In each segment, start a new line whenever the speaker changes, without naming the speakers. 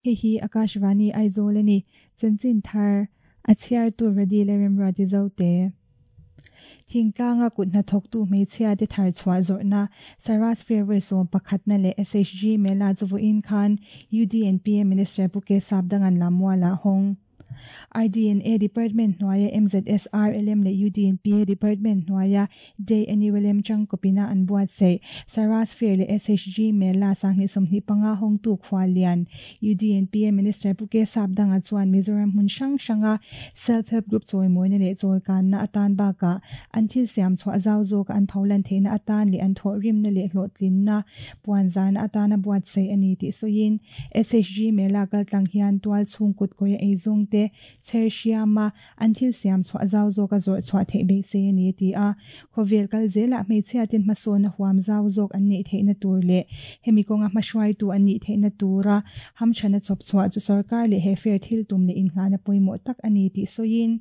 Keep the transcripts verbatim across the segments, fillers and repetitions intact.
Hei hi Akashvani Aizawl a ni. Chanchin thar a chhiartu Radi leh Remruati Zote. Thingtlanga kut hnathawktu hmeichhia te thar chhuah zawrhna Saras Fair vawi sawm pakhatna leh S H G Mela chu vawiin khan U D N P A Minister Pu K Sapdangan Lammuala hawng. R D N A Department hnuaia M Z S R L M leh U D N P A Department hnuaia Day N U L M tangkawpina an buatsaih Saras Fair leh S H G Mela sanghnih sawmhnih panga hawngtu khuallian U D N P A Minister Pu K Sapdanga chuan Mizoram hmun hrang hranga self help group chawimawina leh chawlkanna atan bakah an thil siam chhuah zau zawk an pholan theihna atan leh an thawh rimna leh hlawhtlinna puan zarna atana buatsaih a ni tih sawiin S H G Mela kaltlang hian tual chhung kut kawia eizawng te chher hriama an thil siam chhuah zau zawk a zawrh chhuah theih beisei a ni ti a. Khawvel kal zelah hmeichhia ten hmasawn a huam zau zawk an neih theihna tur leh hemi kawnga hmahruaitu an nih theihna tura hamthana chawp chhuah chu sarkar leh he fair thil tum leh innghahna pawimawh tak a ni tih sawiin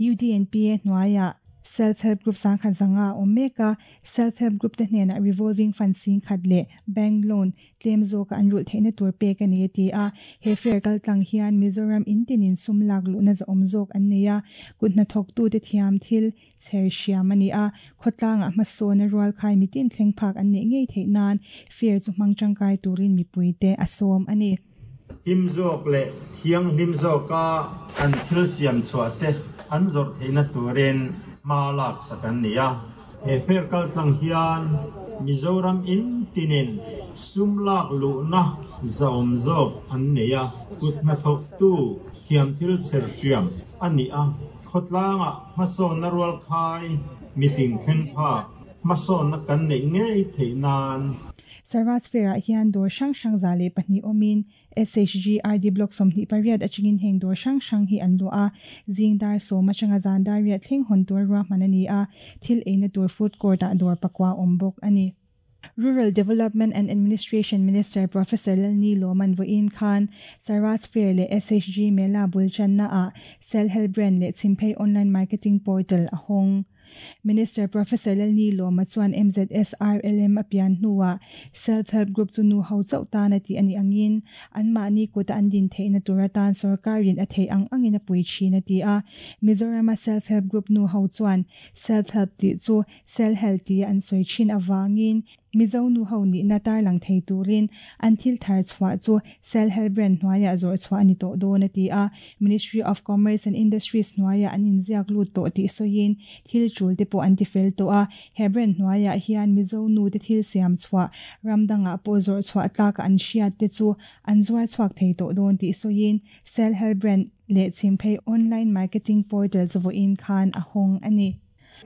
U D N P A hnuaiah self help group sangkhat zanga awm mek a, self help group te hnenah revolving fund sing khat leh bank loan tlem zawka an rulh theihna tur pek a ni a ti a. He fair kaltlang hian Mizoram in tinin sum lak luhna za awm zawk an nei a, kut hnathawktu te thiam thil chher hriam a ni a, khawtlangah hmasawn a rual khai mitin thleng phak an neih ngei theih nan fair chu hmang tangkai turin mipui te a sawm a ni.
Him zawk leh thiang hlim zawka an thil siam chhuah te an zawrh theihna turin hma lak sak an ni a. He fair kaltlang hian Mizoram in tinin sum lak luhna zawm zawk an nei a, kut hnathawktu thiam thil chher hriam a ni a, khawtlanga hmasawnna rual khai mitin thleng phak hmasawnna kan neih ngei theih nan.
Saras Fair ah hian dawr hrang hrang za leh pahnih awmin S H G R D Block sawmhnih pariat atangin heng dawr hrang hrang hi an luah a, zing dar sawm atanga zan dar riat thleng hawn tur ruahman a ni a, thil eina tur food court ah dawr pakua awm bawk a ni. Rural Development and Administration Minister Professor Lalni Loman Voin Khan Saras Fair leh S H G Mela Bulchanna a Self Help Brand leh Chhimphei Online Marketing Portal a hawng. Minister Professor Lalni Loma chuan M Z S R L M apian hnuah self help group chu nu ho chauh tan ati ani angin an mahni kuta an din theihna tur atan sarkarin a thei ang angin a pui thin a ti a. Mizorama self help group nu ho chuan self help ti chu self help ti an soi thin awangin Mizo nu ho ni na tar lang thei turin an thil thar chhuah chu self help brand hnuaiah zawrh chhuah ani tawh dawn a ti a. Ministry of Commerce and Industries hnuaiah an inziak lut tawh tih sawiin thil tul te pawh an ti fel tawh a, he brand hnuaiah hian Mizo nu te thil siam chhuah ramdangah pawh zawrh chhuah tlaka an hriat te chu an zuar chhuak thei tawh dawn tih sawiin self help brand leh Chhimphei Online Marketing Portal chu vawiin khan a hawng a ni.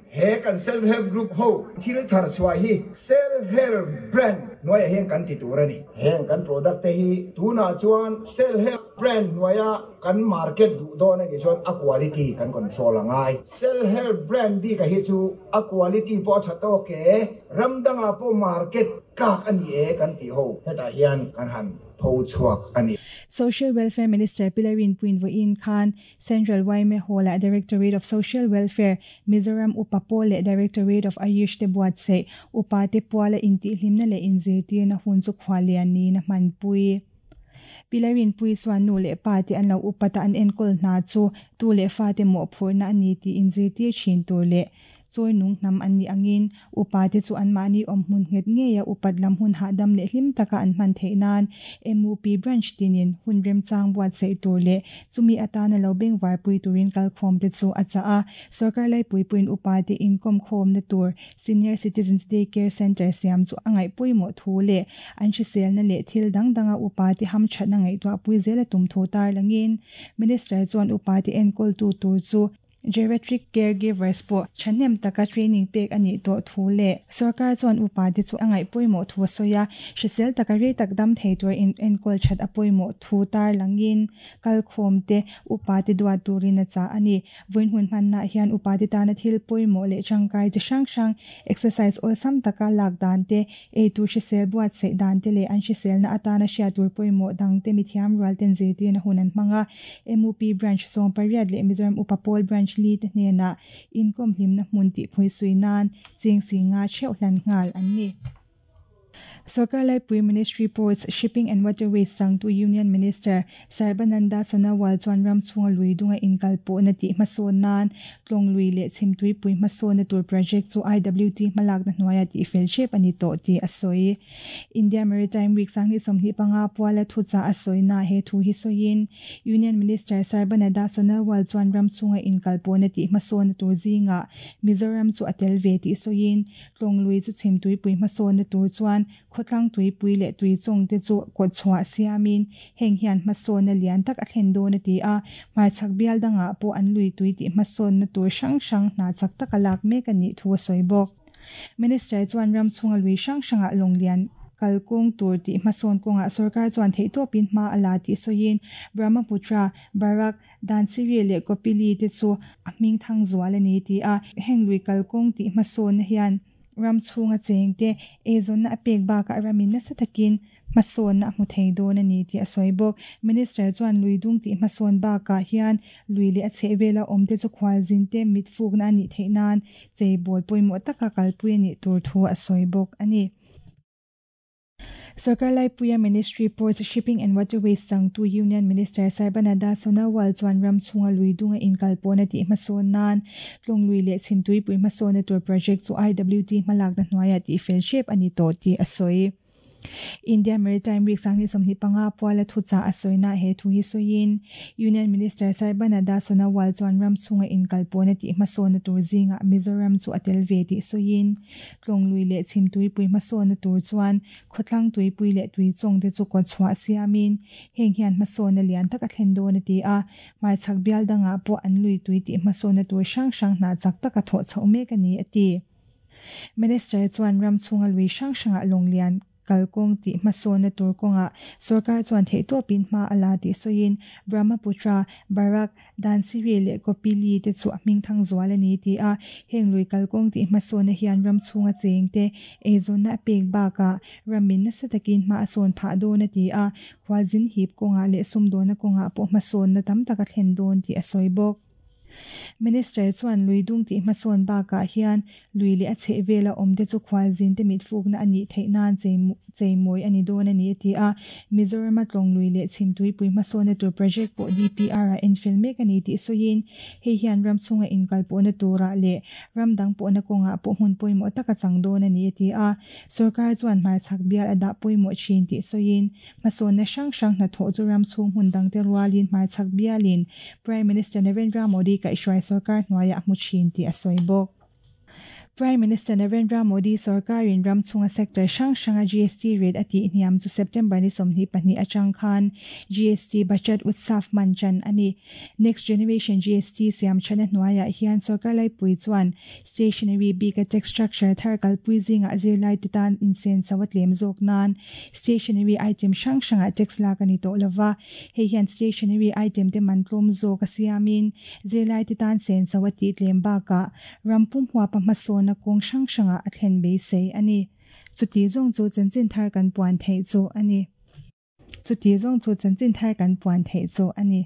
He kan self help group ho thil thar chhuah hi self help brand hnuaiah hian kan ti tur a ni. Heng kan product te hi tunah chuan self help brand hnuaia kan market duh dawn a ni chuan a quality kan control angai. Self help brand bika hi chu a quality pawh a tha tawk e, ramdangah pawh market tlak a ni e kan ti ho hetah hian kan han pho chhuak a ni.
Social Welfare Minister Pilarin Puin Voin Khan Central Y M A Hall at Directorate of Social Welfare Mizoram Upa Pawl leh Directorate of Ayush te buatsaih Upa te puala inti hlimna leh inzirtir na hun chu khwalian ni na hman pui. Pilarin pui chuan nu leh pa te an lo upata an enkawl hna chu tu leh fa te mawh phurna ani ti inzirtir thin tur leh chawi nung hnam an ni angin upa te chu an mahni awm hmun nghet ngeia upat lam hun hahdam leh hlim taka an hman theih nan M U P branch tinin hun remchang buatsaih tur leh chumi atana lo bengvar pui turin kalkhawm te chu a cha a. Sarkar lai pui puin upa te inkom khawm na tur Senior Citizens Day Care Center siam chu angai pawimawh thu leh an hriselna leh thil dang danga upa te ham thatna ngaihtuah pui zela tum thu tar langin Minister chuan upa te enkawl tu tur chu geriatric caregivers pawh thahnem taka training pek ani tawh thu leh sarkar chuan upa te chu angai pawimawh thu sawi a, hrisel taka rei tak dam thei tur in enkawl that a pawimawh thu tar langin kalkhawm te upa te duat turin a cha ani. Vawiin hun hmanna hian upa te tana thil pawimawh leh tangkai chi hrang hrang, exercise awlsam taka lak dan te, eitur hrisel buatsaih dan te leh an hriselna atana hriat tur pawimawh dang te mithiam rual ten zirtirna hun an hmang a. M U P branch sawm pariat leh Mizoram Upa Pawl branch li te hnenah inkom hlimna hmun tih phui sui nan ching si nga theuh hlan nghal an ni. Sarkar Laipui Ministry Ports, Shipping and Waterways changtu Union Minister Sarbananda Sonowal chuan ram chhunga lui dunga inkal pawhna tih hmasawn nan tlawng lui leh chhimtuipui hmasawnna tur project chu I W T hmalakna hnuaia tih fel hrep a ni tawh tih a sawi. India Maritime Week sanghnih sawmhnih panga puala thucha a sawina he thu hi sawiin Union Minister Sarbananda Sonowal chuan ram chhunga inkal pawhna tih hmasawnna tur zinga Mizoram chu a tel ve tih sawiin tlawng lui chu chhimtuipui hmasawnna tur chuan khawtlang tuipui leh tui chawng te chu kawt chhuah siamin heng hian hmasawnna lian tak a thlen dawn a ti a hmarchhak bial dangah pawh an lui tui tih hmasawnna tur hrang hrang hna chak tak a lak mek a nih thu a sawi bawk. Minister chuan ram chhunga lui hrang hrangah lawng lian kalkawng tur tih hmasawn kawngah sarkar chuan theih tawpin hma a la tih sawiin Brahmaputra, Barak, Dhansiri leh Kopili te chu a hming thang zual a ni ti a heng lui kalkawng tih hmasawnna hian ram chhunga cheng te eizawnna a pek bakah ramin nasa takin hmasawnna a hmu thei dawn a ni tih a sawi bawk. Minister chuan lui dung tih hmasawn bakah hian lui leh a chhehvela awm te chu khualzin te mit fukna a nih theih nan cheibawl pawimawh taka kalpui a nih tur thu a sawi bawk a ni. Sarkar Laipuia Ministry Ports, Shipping and Waterways changtu Union Minister Sarbananda Sonowal chuan ram chhunga lui dunga inkal pawhna tih hmasawn nan tlawng lui leh chhimtuipui hmasawnna tur project chu I W T hmalakna hnuaia tih fel hrep a ni tawh tih a sawi. India Maritime Week sanghnih sawmhnih panga puala thucha a sawina he thu hi sawiin Union Minister Sarbananda Sonowal chuan ram chhunga inkal pawhna tih hmasawnna tur zinga Mizoram chu a tel ve tih sawiin tlawng lui leh chhimtuipui hmasawnna tur chuan khawtlang tuipui leh tui chawng te chu kawt chhuah siamin heng hian hmasawnna lian tak a thlen dawn a ti a hmarchhak bial dangah pawh an lui tui tih hmasawnna tur hrang hrang hna chak taka thawh chhoh mek a ni a ti. Minister chuan ram chhunga lui hrang hrangah lawng lian kalkawng tih hmasawnna tur kawngah sarkar chuan theih tawpin hma a la tih sawiin Brahmaputra, Barak, Dhansiri leh Kopili te chu a hming thang zual a ni ti a heng lui kalkawng tih hmasawnna hian ram chhunga cheng te eizawnna a pek bakah ramin nasa takin hma a sawn phah dawn a ti a khualzin hip kawngah leh sumdawna kawngah pawh hmasawnna tam tak a thlen dawn tih a sawi bawk. Minister chuan lui dung tih hmasawn bakah hian lui leh a chhehvela awm te chu khualzin te mit fukna a nih theih nan cheimawi a ni dawn a ni a ti a Mizoram a tlawng lui leh chhimtuipui hmasawnna tur project pawh D P R a enfel mek a ni tih sawiin hei hian ram chhunga inkal pawhna turah leh ram dang pawhna kawngah pawh hmun pawimawh taka chang dawn a ni a ti a sarkar chuan hmarchhak bial a dah pawimawh thin tih sawiin hmasawnna hrang hrang hnathawh chu ram chhung hmun dang te rualin hmarchhak bialin Prime Minister Narendra Modi kaihhruai sarkar hnuaia a hmu thin tih a sawi bawk. Prime Minister Narendra Modi sarkarin ram chhunga sector hrang hranga G S T rate a tih hniam chu September ni sawmhnih pahnih atang khan G S T Bachat Utsav manchan ani. Next Generation G S T siam thana hnuaiah hian sarkar laipui chuan stationery bika tax structure thar kalpui zinga zirlai te tan insen sawa tlem zawk nan stationery item hrang hranga tax lak ani tawh lova hei hian stationery item te man tlawm zawk a siamin zirlai te tan sen sawa tih tlem bakah rampum huapa hmasawn na kawng hrang hrangah a thlen beisei a ni. Chuti zawng chu chanchin thar kan puan theih chu a ni. Chuti zawng chu chanchin thar kan puan theih chu a ni.